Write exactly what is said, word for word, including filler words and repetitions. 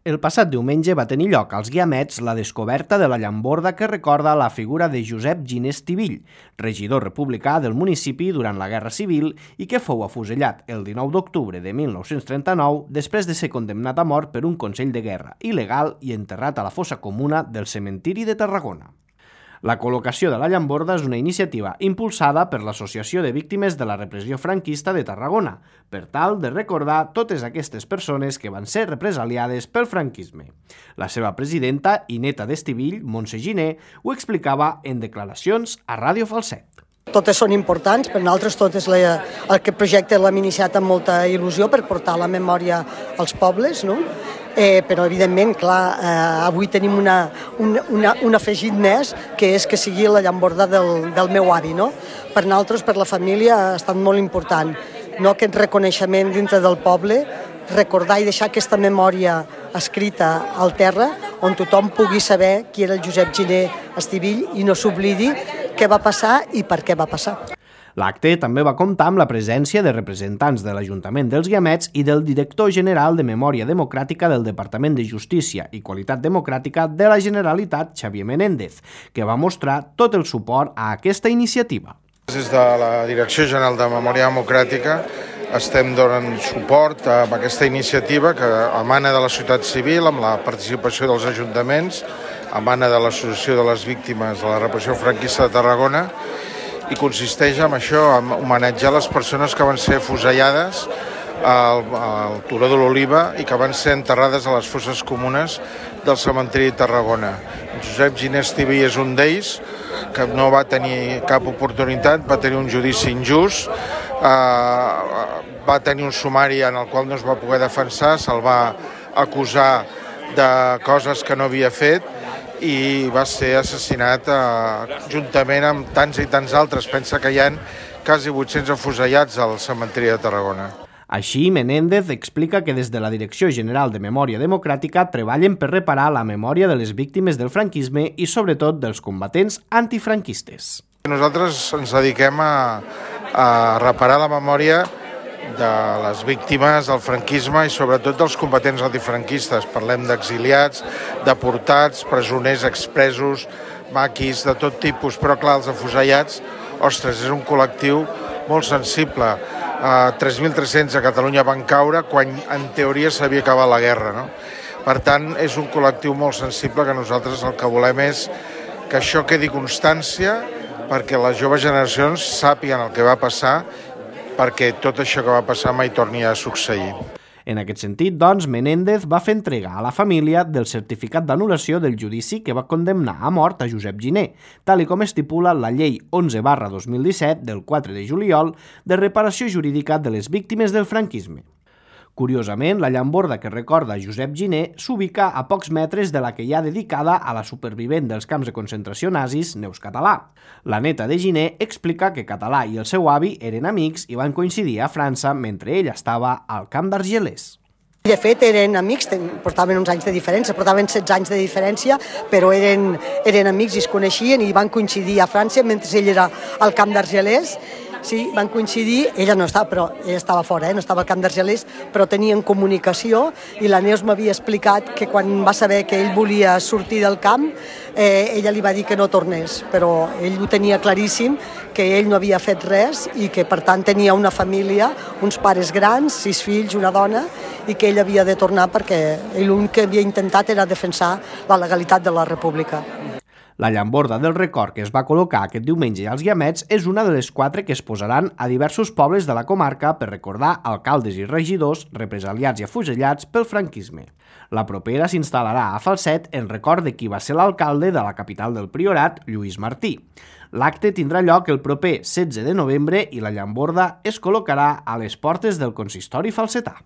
El passat diumenge va tenir lloc als Guiamets la descoberta de la llamborda que recorda la figura de Josep Giner Estivill, regidor republicà del municipi durant la Guerra Civil i que fou afusellat el dinou d'octubre de mil nou-cents trenta-nou després de ser condemnat a mort per un Consell de Guerra il·legal i enterrat a la fossa comuna del cementiri de Tarragona. La col·locació de la llamborda és una iniciativa impulsada per l'Associació de Víctimes de la Repressió Franquista de Tarragona, per tal de recordar totes aquestes persones que van ser represaliades pel franquisme. La seva presidenta i neta d'Estivill, Montse Giner, ho explicava en declaracions a Ràdio Falset. Totes són importants, per nosaltres totes aquest projecte l'hem iniciat amb molta il·lusió per portar la memòria als pobles, no? Eh, però evidentment, clar, eh, avui tenim una, una, una, un afegit més, que és que sigui la llamborda del, del meu avi, no? Per nosaltres, per la família, ha estat molt important, no? Aquest reconeixement dintre del poble, recordar i deixar aquesta memòria escrita al terra, on tothom pugui saber qui era el Josep Giner Estivill i no s'oblidi què va passar i per què va passar. L'acte també va comptar amb la presència de representants de l'Ajuntament dels Guiamets i del director general de Memòria Democràtica del Departament de Justícia i Qualitat Democràtica de la Generalitat, Xavier Menéndez, que va mostrar tot el suport a aquesta iniciativa. Des de la Direcció General de Memòria Democràtica estem donant suport a aquesta iniciativa que emana de la societat civil amb la participació dels ajuntaments, emana de l'Associació de les Víctimes de la Repressió Franquista de Tarragona i consisteix en això, en homenatjar les persones que van ser afusellades al, al Turó de l'Oliva i que van ser enterrades a les fosses comunes del cementiri de Tarragona. Josep Giner Estivill és un d'ells, que no va tenir cap oportunitat, va tenir un judici injust, eh, va tenir un sumari en el qual no es va poder defensar, se'l va acusar de coses que no havia fet i va ser assassinat eh, juntament amb tants i tants altres. Pensa que hi ha quasi vuit-cents afusellats al cementiri de Tarragona. Així, Menéndez explica que des de la Direcció General de Memòria Democràtica treballen per reparar la memòria de les víctimes del franquisme i sobretot dels combatents antifranquistes. Nosaltres ens dediquem a, a reparar la memòria de les víctimes del franquisme i sobretot dels combatents antifranquistes. Parlem d'exiliats, deportats, presoners expresos, maquis, de tot tipus, però clar, els afusellats, ostres, és un col·lectiu molt sensible. Uh, tres mil tres-cents a Catalunya van caure quan en teoria s'havia acabat la guerra, no? Per tant, és un col·lectiu molt sensible que nosaltres el que volem és que això quedi constància perquè les joves generacions sàpiguen el que va passar perquè tot això que va passar mai torni a succeir. En aquest sentit, doncs, Menéndez va fer entrega a la família del certificat d'anul·lació del judici que va condemnar a mort a Josep Giner, tal i com estipula la Llei onze barra dos mil disset del quatre de juliol de reparació jurídica de les víctimes del franquisme. Curiosament, la llamborda que recorda Josep Giner s'ubica a pocs metres de la que hi ha dedicada a la supervivent dels camps de concentració nazis, Neus Català. La neta de Giner explica que Català i el seu avi eren amics i van coincidir a França mentre ell estava al camp d'Argelers. De fet, eren amics, portaven uns anys de diferència, portaven setze anys de diferència, però eren, eren amics i es coneixien i van coincidir a França mentre ell era al camp d'Argelers. Sí, van coincidir, ella no estava, però ella estava fora, eh? No estava al camp d'Argelers, però tenien comunicació i la Neus m'havia explicat que quan va saber que ell volia sortir del camp, eh, ella li va dir que no tornés, però ell ho tenia claríssim, que ell no havia fet res i que per tant tenia una família, uns pares grans, sis fills, una dona, i que ell havia de tornar perquè ell l'únic que havia intentat era defensar la legalitat de la República. La llamborda del record que es va col·locar aquest diumenge als Guiamets és una de les quatre que es posaran a diversos pobles de la comarca per recordar alcaldes i regidors represaliats i afusellats pel franquisme. La propera s'instal·larà a Falset en record de qui va ser l'alcalde de la capital del Priorat, Lluís Martí. L'acte tindrà lloc el proper setze de novembre i la llamborda es col·locarà a les portes del consistori falsetà.